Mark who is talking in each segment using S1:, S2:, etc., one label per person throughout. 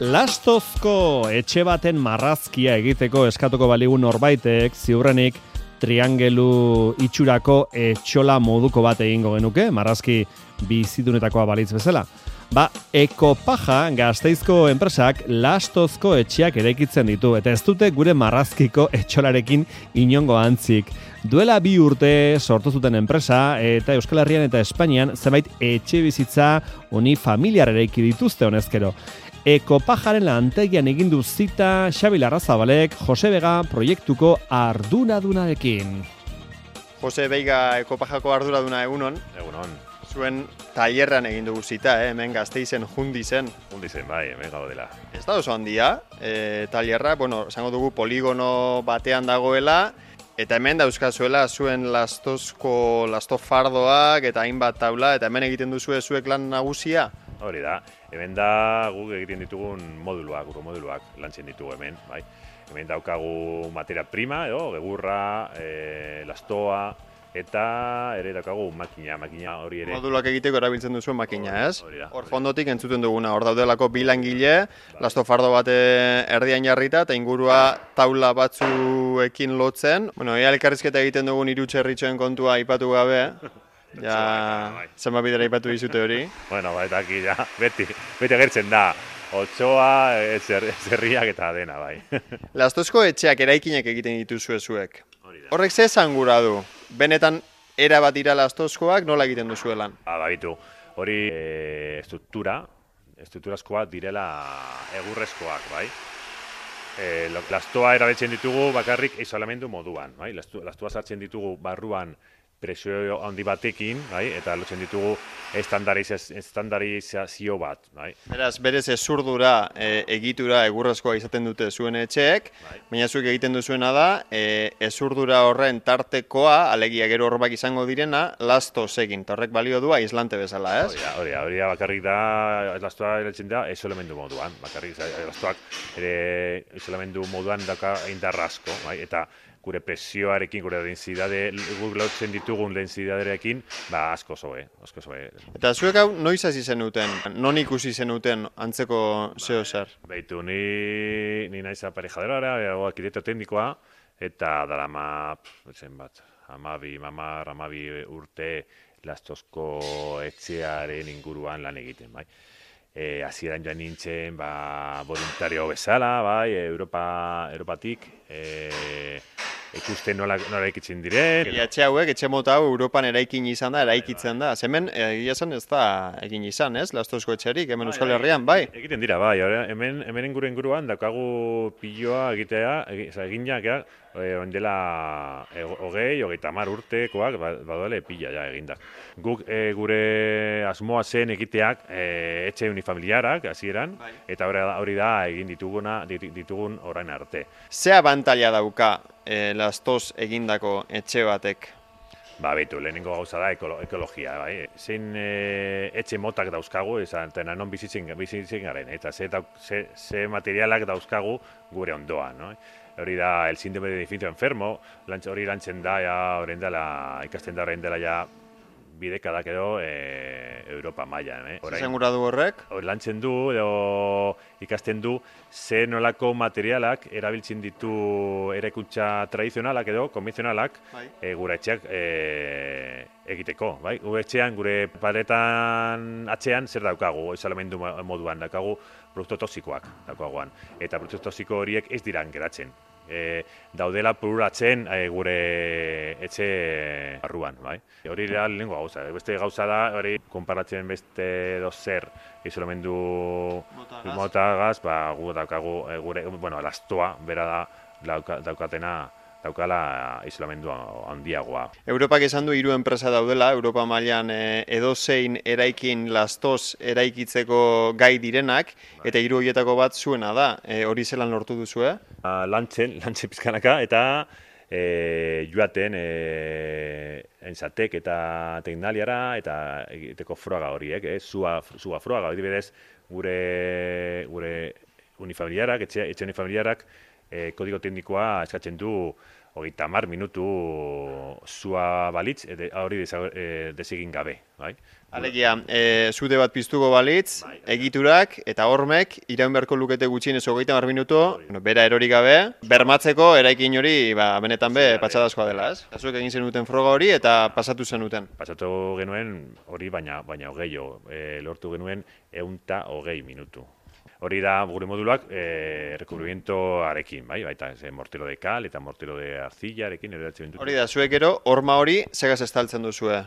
S1: Lastozko etxe baten marrazkia egiteko eskatuko baligu norbaitek, ziurrenik triangelu itxurako etxola moduko bat egingo genuke, marrazki bizidunetakoa balitz bezala. Ekopaja Gasteizko enpresak Lastozko etxeak eraikitzen ditu, eta ez dute gure marrazkiko etxolarekin inongo antzik. Duela 2 urte sortu zuten enpresa, eta Euskal Herrian eta Espainian zenbait etxe bizitza unifamiliar eraiki dituzte honezkero. Ekopajaren lantegian egin du zita Xabi Larrazabalek Jose Vega proiektuko arduradunarekin.
S2: Jose Vega Ekopajako arduraduna egunon.
S3: Egunon.
S2: Zuen tailerran egin dugu zita, hemen Gasteizen Jundizen.
S3: Jundizen, bai, hemen gaudela.
S2: Ez da oso handia, tailerra, esango dugu poligono batean dagoela, eta hemen dauzkazuela zuen lastofardoak eta hainbat taula, eta hemen egiten duzue zuek lan nagusia?
S3: Hori da, hemen da guk egiten ditugun moduluak, lantzen ditugu hemen, bai. Hemen daukagu materia prima, egurra, lastoa, eta ere daukagu makina hori ere.
S2: Moduluak egiteko erabiltzen duzuen makina, ez?
S3: Hor
S2: fondotik entzuten duguna, hor daudelako bi langile, lastofardo bat erdian jarrita, eta ingurua taula batzuekin lotzen. Ea elkarrizketa egiten dugun 3 txerritxoen kontua aipatu gabe, zenbat bidera aipatu dizute hori.
S3: Eta aquí beti agertzen da, otsoa, zerriak eta dena, bai.
S2: Lastozko etxeak eraikinak egiten dituzue zuek. Horrek ze esan gura du? Benetan erabat dira Lastozkoak nola egiten duzu lan?
S3: Babitu, hori estrukturazkoak direla egurrezkoak, bai. Lastoa erabiltzen ditugu bakarrik isolamendu moduan, bai. Lastoa sartzen ditugu barruan presio handi batekin, bai, eta lotzen ditugu estandarizazio bat, bai.
S2: Beraz, berez ezurdura egitura egurrezkoa izaten dute zuen etxeek, baina zuek egiten duzuena da, ezurdura horren tartekoa, alegia gero horbak izango direna, Lastoz egin, eta horrek balio du aislante bezala, ez?
S3: Hori bakarrik da, lastoa erabiltzen da, isolamendu moduan, bakarrik lastoak ere isolamendu moduan daka indarrasko, bai, eta gure presioarekin, gure densidade, guk lotzen ditugun densidaderekin, asko zoe.
S2: Eta zuek hau noiz hasi zenuten? Non ikusi zenuten antzeko zeo zer?
S3: Beitu, ni naiz aparejadora, arkitekto teknikoa, eta darama, zenbat, 12 urte Lastozko etxearen inguruan lan egiten, bai. Hasieran joan nintzen, voluntario bezala, bai, Europatik, ikusten nola eraikitzen diren.
S2: Etxe hauek, etxe mota hau Europan eraikin izan da, eraikitzen da. Hemen, egia zen ez da egin izan, ez? Lastozko etxerik, hemen Euskal Herrian, bai?
S3: Egiten dira, bai. Hemen inguruan daukagu piloa eginak, dela 20-30 urtekoak, badoale pila egindak. Guk gure asmoa zen egiteak etxe unifamiliarak, hasieran, eta hori da egin ditugun orain arte.
S2: Ze abantaila dauka Lastoz egindako etxe batek?
S3: Beitu, lehenengo gauza da ekologia, bai. Zein etxe motak dauzkagu, eta non bizitzen garen, eta ze materialak dauzkagu gure ondoan, no? Hori da, el síndrome de edificio enfermo, hori lantzen da, ikasten da orain dela bidekadak edo Europa mailan.
S2: Zer gura du horrek?
S3: Lantzen du, edo ikasten du, ze nolako materialak erabiltzen ditu eraikuntza tradizionalak edo konvenzionalak gure etxeak egiteko. Gure etxean, gure paretan atzean zer daukagu, isolamendu moduan, daukagu produktu toxikoak daukaguan. Eta produktu toxiko horiek ez diran geratzen. Daudela pururatzen gure etxe barruan, bai. Hori da lehenengo gauza. Beste gauza da, hori konparatzen beste dozer isolamendu motagaz, gu daukagu gure, lastoa, bera da daukala isolamendu handiagoa.
S2: Europak esan du 3 enpresa daudela, Europa mailan edozein eraikin Lastoz eraikitzeko gai direnak, eta 3 horietako bat zuena da. Hori zelan lortu duzue?
S3: Lantzen pizkanaka, eta joaten enzatek eta teknaliara, eta egiteko froga horiek, zua froga, adibidez gure unifamiliarak, etxe unifamiliarak, kodigo teknikoa eskatzen du 30 minutu zua balitz, hori desegin gabe, bai?
S2: Alegia, zude bat piztuko balitz, egiturak eta hormek iraun beharko lukete gutxienez 30 minutu, bera erori gabe, bermatzeko eraikin hori benetan patxadazkoa dela, ez? Zuek egin zenuten froga hori eta pasatu zenuten.
S3: Pasatu genuen hori, baina gehiago, lortu genuen 120 minutu. Hori da gure moduluak rekubrimientoarekin, baita mortero de cal eta mortero de arzillarekin.
S2: Hori da, zuek gero, horma hori segaz estaltzen duzue.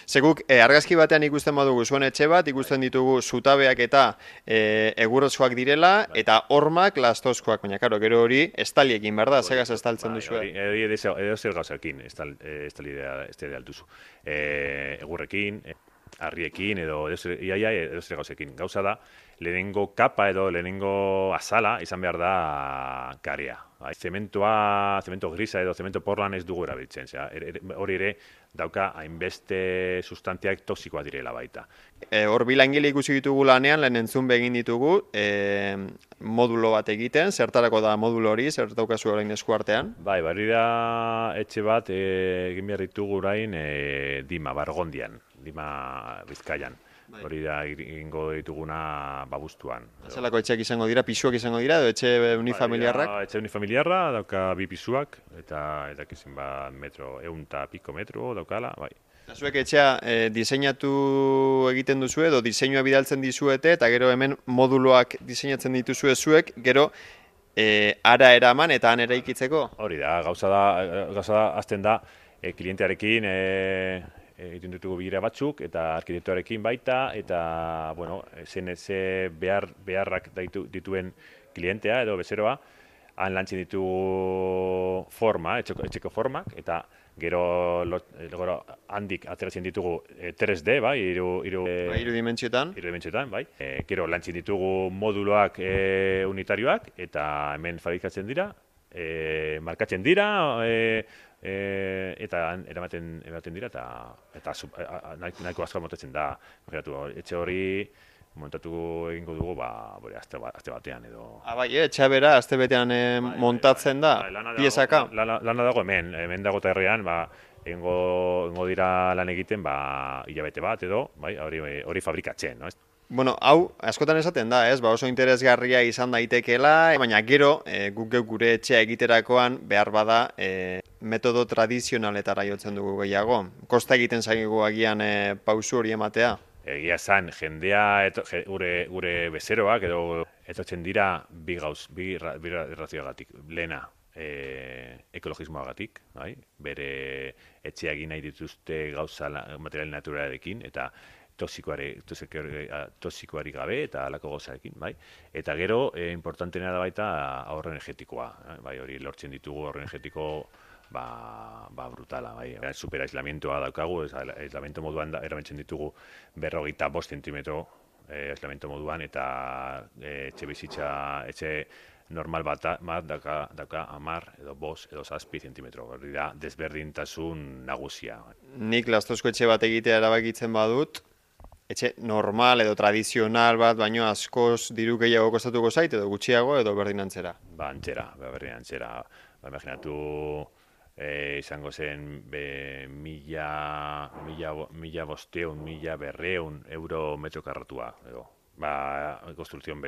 S2: Seguk, argazki batean ikusten badugu zuen etxe bat, ikusten ditugu zutabeak eta egurrezkoak direla, eta hormak lastozkoak, baina karo, gero hori estaliekin, berda, segaz estaltzen duzue.
S3: Hori edo zer gauzakin estalidea altuzu. Egurrekin, harriekin edo zer gauzekin. Gauza da, lehenengo kapa edo lehenengo azala izan behar da karea. Zemento grisa edo zemento porlan ez dugu erabiltzen. Hori ere dauka hainbeste sustantziak toksikoa direla baita.
S2: Hor bilangile ikusi ditugu lanean, lehen entzun begin ditugu, modulo bat egiten, zertarako da modulo hori, zer daukazu orain eskuartean?
S3: Bai, da etxe bat egin behar ditugu orain Dima, Bargondian, Dima Bizkaian. Hori da egingo dituguna Babustuan.
S2: Zelako etxeak izango dira, pisuak izango dira, edo etxe unifamiliarrak?
S3: Etxe unifamiliarra, dauka 2 pisuak, eta kizin metro, 100 metro daukala, bai.
S2: Zuek etxea diseinatu egiten duzu edo diseinua bidaltzen dizuete, eta gero hemen moduloak diseinatzen dituzue zuek, gero ara eraman eta han eraikitzeko?
S3: Hori da, gauza da, azten da, klientearekin egiten ditugu bilera batzuk, eta arkitektoarekin baita, eta, ze beharrak dituen klientea edo bezeroa, han lantzen ditugu etxeko formak, eta gero handik ateratzen ditugu 3D,
S2: hiru dimentsioetan.
S3: Gero lantzen ditugu moduloak unitarioak, eta hemen fabrikatzen dira, markatzen dira, eta eramaten dira, eta nahiko asko montatzen da. Etxe hori montatu egingo dugu aste batean edo.
S2: Etxea bera aste betean montatzen da, piezaka?
S3: Lana dago hemen dago terrean, egingo dira lan egiten hilabete bat edo, hori fabrikatzen, no?
S2: Bueno, hau, askotan esaten da, oso interesgarria izan daitekeela, baina gero, guk gure etxea egiterakoan behar bada metodo tradizionaletara jotzen dugu gehiago. Kosta egiten zaigu agian pausu hori ematea.
S3: Egia zan, jendea, gure bezeroak edo etortzen dira bi razioagatik. Lehena, ekologismoagatik, bere etxea egin nahi dituzte gauza material naturalarekin, eta toxikoari gabe eta alako gozarekin, Eta gero, importantena da baita ahorro energetikoa, hori lortzen ditugu ahorro energetiko brutala, super aislamentoa daukagu, aislamentu moduan erabiltzen ditugu 45 zentimetro aislamentu moduan, eta etxe normal bat dauka 10 edo 5 edo 7 zentimetro, hori da desberdintasun nagusia.
S2: Nik lastozko etxe bat egitea erabakitzen badut, etxe normal edo tradizional bat, baino askoz diru gehiago kostatuko zait, edo gutxiago, edo berdin antzera?
S3: Berdin antzera. Imaginatu izango zen 1.500 euro metro karratua, edo. Konstruzion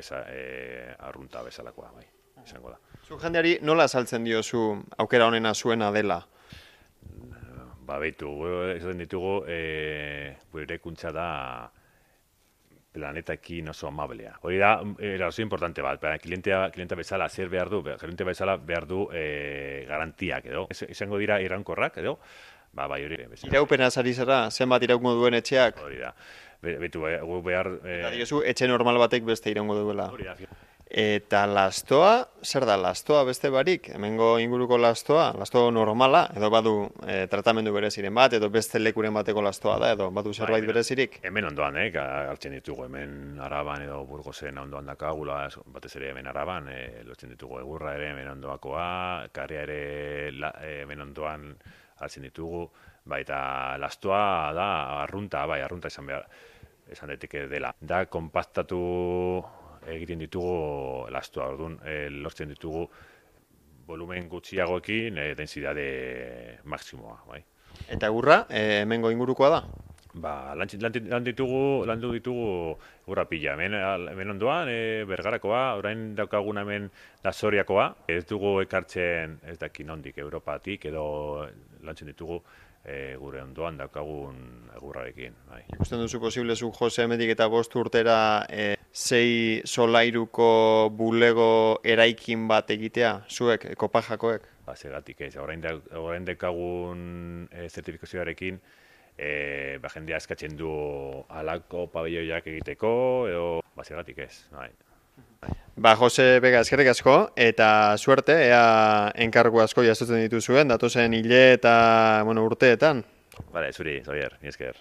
S3: arrunta bezalakoa, izango da.
S2: Zu jendeari nola azaltzen diozu aukera honena zuena dela?
S3: Esaten ditugu, gure eraikuntza da planetakin oso amablea. Hori da, oso importante bat, klientea bezala zer behar du, klientea bezala behar du garantiak, edo. Izango dira iraunkorrak, edo. Hori.
S2: Iraupena zari zara, zenbat iraungo duen etxeak?
S3: Hori da. Gu behar...
S2: Eta diozu, etxe normal batek beste iraungo duela.
S3: Hori da.
S2: Eta lastoa, zer da lastoa beste barik? Hemengo inguruko lastoa normala, edo badu tratamendu bereziren bat, edo beste lekuren bateko lastoa da, edo badu zerbait berezirik?
S3: Hemen ondoan, hartzen ditugu, hemen Araban edo Burgosen ondoan dakagula, batez ere hemen Araban, lotzen ditugu egurra ere hemen ondoakoa, karria ere hemen ondoan hartzen ditugu, eta lastoa da arrunta esan daiteke dela. Da, konpaktatu egiten ditugu lastoa, orduan lortzen ditugu volumen gutxiagoekin densidade maksimoa, bai.
S2: Eta egurra, hemengo ingurukoa da?
S3: Ba, landu ditugu urra pila. Hemen ondoan, Bergarakoa, orain daukagun hemen da Soriakoa. Ez dugu ekartzen, ez daki nondik, Europatik, edo lantzen ditugu gure ondoan daukagun egurrarekin. Bai.
S2: Ikusten duzu posible zu Jose hemendik eta 5 urtera 6 solairuko bulego eraikin bat egitea, zuek, Kopajakoek?
S3: Ba, segatik ez, orain daukagun zertifikazioarekin, jendea eskatzen du halako pabelloiak egiteko, edo basegatik ez. Bai.
S2: Ba, Jose Vega, eskerrik asko, eta suerte, ea enkargu asko jasotzen dituzuen, datozen hile eta urteetan.
S3: Bale, zuri, Xavier, ni esker.